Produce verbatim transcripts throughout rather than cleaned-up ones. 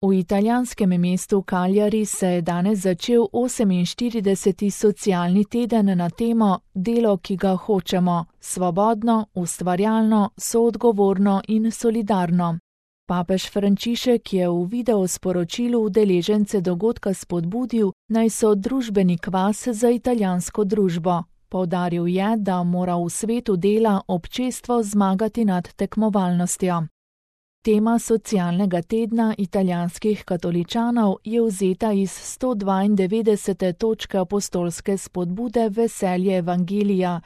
V italijanskem mestu Cagliari se je danes začel oseminštirideseti socialni teden na temo Delo, ki ga hočemo, svobodno, ustvarjalno, soodgovorno in solidarno. Papež Frančišek je v videosporočilu udeležence dogodka spodbudil, naj so družbeni kvas za italijansko družbo. Poudaril je, da mora v svetu dela občestvo zmagati nad tekmovalnostjo. Tema socialnega tedna italijanskih katoličanov je vzeta iz sto dvaindevetdesete točke apostolske spodbude Veselje Evangelija,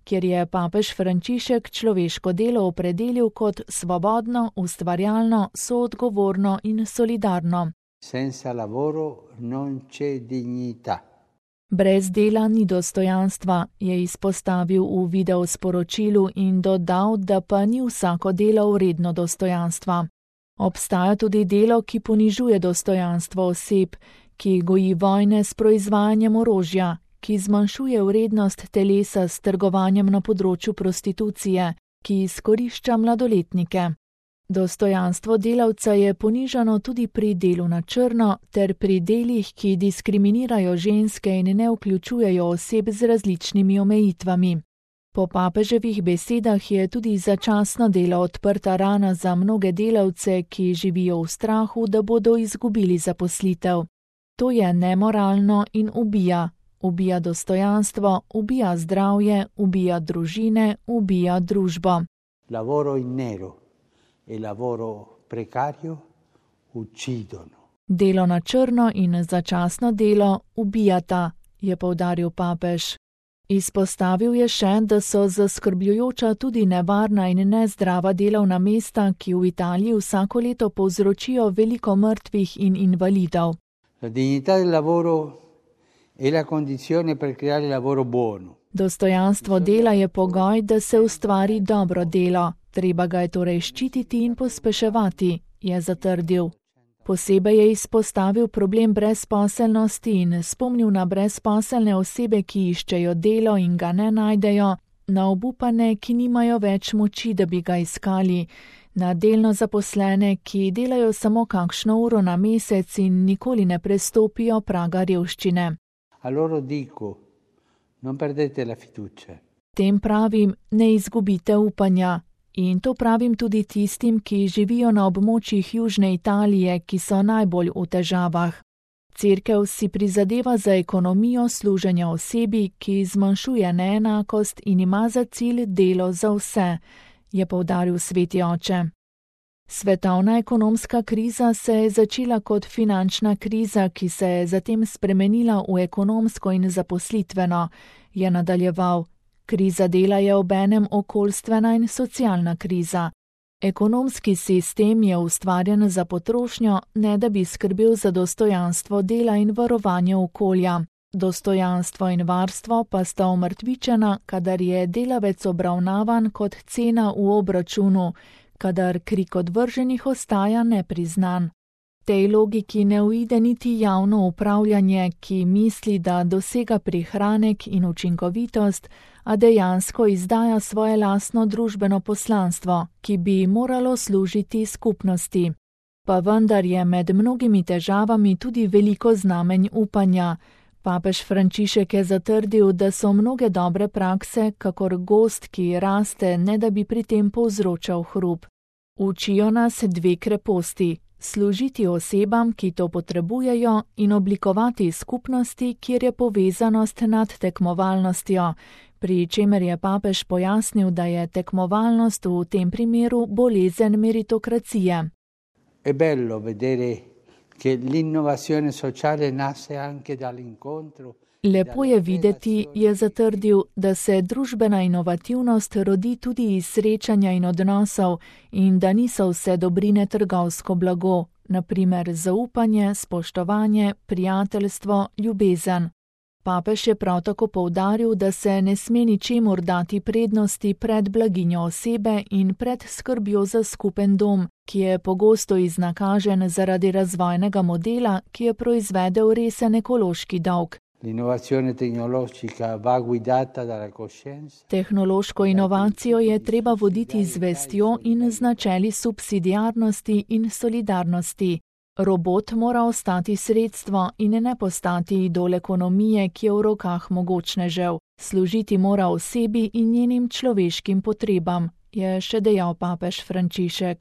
kjer je papež Frančišek človeško delo opredelil kot svobodno, ustvarjalno, soodgovorno in solidarno. Senza lavoro non c'è dignità. Brez dela ni dostojanstva, je izpostavil v videosporočilu in dodal, da pa ni vsako delo vredno dostojanstva. Obstaja tudi delo, ki ponižuje dostojanstvo oseb, ki goji vojne s proizvajanjem orožja, ki zmanjšuje vrednost telesa s trgovanjem na področju prostitucije, ki izkorišča mladoletnike. Dostojanstvo delavca je ponižano tudi pri delu na črno ter pri delih, ki diskriminirajo ženske in ne vključujejo oseb z različnimi omejitvami. Po papeževih besedah je tudi začasno delo odprta rana za mnoge delavce, ki živijo v strahu, da bodo izgubili zaposlitev. To je nemoralno in ubija. Ubija dostojanstvo, ubija zdravje, ubija družine, ubija družbo. Lavoro in nero. E lavoro precario uccidono. Delo na črno in začasno delo ubijata, je poudaril papež. Izpostavil je še, da so zaskrbljujoča tudi nevarna in nezdrava delovna mesta, ki v Italiji vsako leto povzročijo veliko mrtvih in invalidov. La dignità del lavoro è la condizione per creare lavoro buono. Dostojanstvo dela je pogoj, da se ustvari dobro delo. Treba ga je torej ščititi in pospeševati, je zatrdil. Posebej je izpostavil problem brezposelnosti in spomnil na brezposelne osebe, ki iščejo delo in ga ne najdejo, na obupane, ki nimajo več moči, da bi ga iskali, na delno zaposlene, ki delajo samo kakšno uro na mesec in nikoli ne prestopijo praga revščine. A loro dico, non perdete la fiducia. Tem pravim, ne izgubite upanja. In to pravim tudi tistim, ki živijo na območjih Južne Italije, ki so najbolj v težavah. Cerkev si prizadeva za ekonomijo služenja osebi, ki zmanjšuje neenakost in ima za cilj delo za vse, je poudaril sveti oče. Svetovna ekonomska kriza se je začela kot finančna kriza, ki se je zatem spremenila v ekonomsko in zaposlitveno, je nadaljeval. Kriza dela je obenem okoljstvena in socialna kriza. Ekonomski sistem je ustvarjen za potrošnjo, ne da bi skrbel za dostojanstvo dela in varovanje okolja. Dostojanstvo in varstvo pa sta omrtvičena, kadar je delavec obravnavan kot cena v obračunu, kadar krik odvrženih ostaja nepriznan. Tej logiki ne uide niti javno upravljanje, ki misli, da dosega prihranek in učinkovitost, a dejansko izdaja svoje lastno družbeno poslanstvo, ki bi moralo služiti skupnosti. Pa vendar je med mnogimi težavami tudi veliko znamenj upanja. Papež Frančišek je zatrdil, da so mnoge dobre prakse, kakor gozd, ki raste, ne da bi pri tem povzročal hrup. Učijo nas dve kreposti. Služiti osebam, ki to potrebujejo, in oblikovati skupnosti, kjer je povezanost nad tekmovalnostjo, pri čemer je papež pojasnil, da je tekmovalnost v tem primeru bolezen meritokracije. È bello vedere che l'innovazione sociale nasce anche dall'incontro. Lepo je videti, je zatrdil, da se družbena inovativnost rodi tudi iz srečanja in odnosov in da niso vse dobrine trgovsko blago, na primer zaupanje, spoštovanje, prijateljstvo, ljubezen. Papež je prav tako poudaril, da se ne sme ničemur dati prednosti pred blaginjo osebe in pred skrbjo za skupen dom, ki je pogosto iznakažen zaradi razvojnega modela, ki je proizvedel resen ekološki dolg. L'innovazione tecnologica va guidata dalla coscienza. Tehnološko inovacijo je treba voditi z vestjo in z načeli subsidiarnosti in solidarnosti. Robot mora ostati sredstvo in ne postati idol ekonomije, ki je v rokah mogočnežev. Služiti mora osebi in njenim človeškim potrebam, je še dejal papež Frančišek.